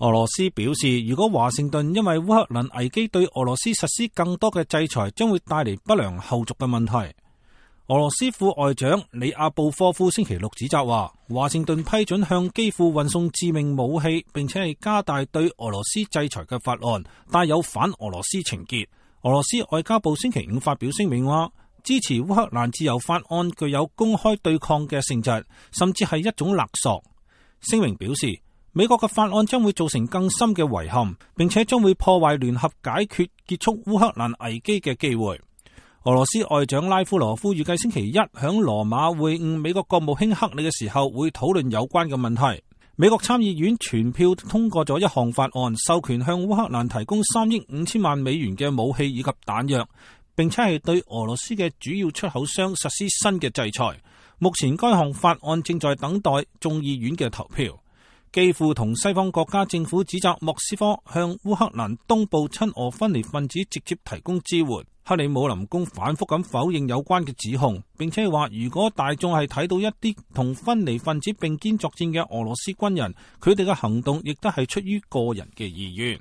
俄羅斯表示，如果華盛頓因為烏克蘭危機對俄羅斯實施更多嘅制裁，將會帶嚟不良後續嘅問題。俄羅斯副外長里亞布科夫星期六指責話，華盛頓批准向基輔運送致命武器，並且係加大對俄羅斯制裁嘅法案，帶有反俄羅斯情結。俄羅斯外交部星期五發表聲明話，支持烏克蘭自由法案具有公開對抗嘅性質，甚至係一種勒索。聲明表示，美國嘅法案將會造成更深嘅遺憾，並且將會破壞聯合解決結束烏克蘭危機嘅機會。俄羅斯外長拉夫羅夫預計星期一響羅馬會晤美國國務卿克里嘅時候，會討論有關嘅問題。美國參議院全票通過咗一項法案，授權向烏克蘭提供3億5千萬美元嘅武器以及彈藥，並且係對俄羅斯嘅主要出口商實施新嘅制裁。目前該項法案正在等待眾議院嘅投票。基輔同西方國家政府指責莫斯科向烏克蘭東部親俄分離分子直接提供支援。克里姆林宮反覆咁否認有關嘅指控，並且話如果大眾係睇到一啲同分離分子並肩作戰嘅俄羅斯軍人，佢哋嘅行動亦都係出於個人嘅意願。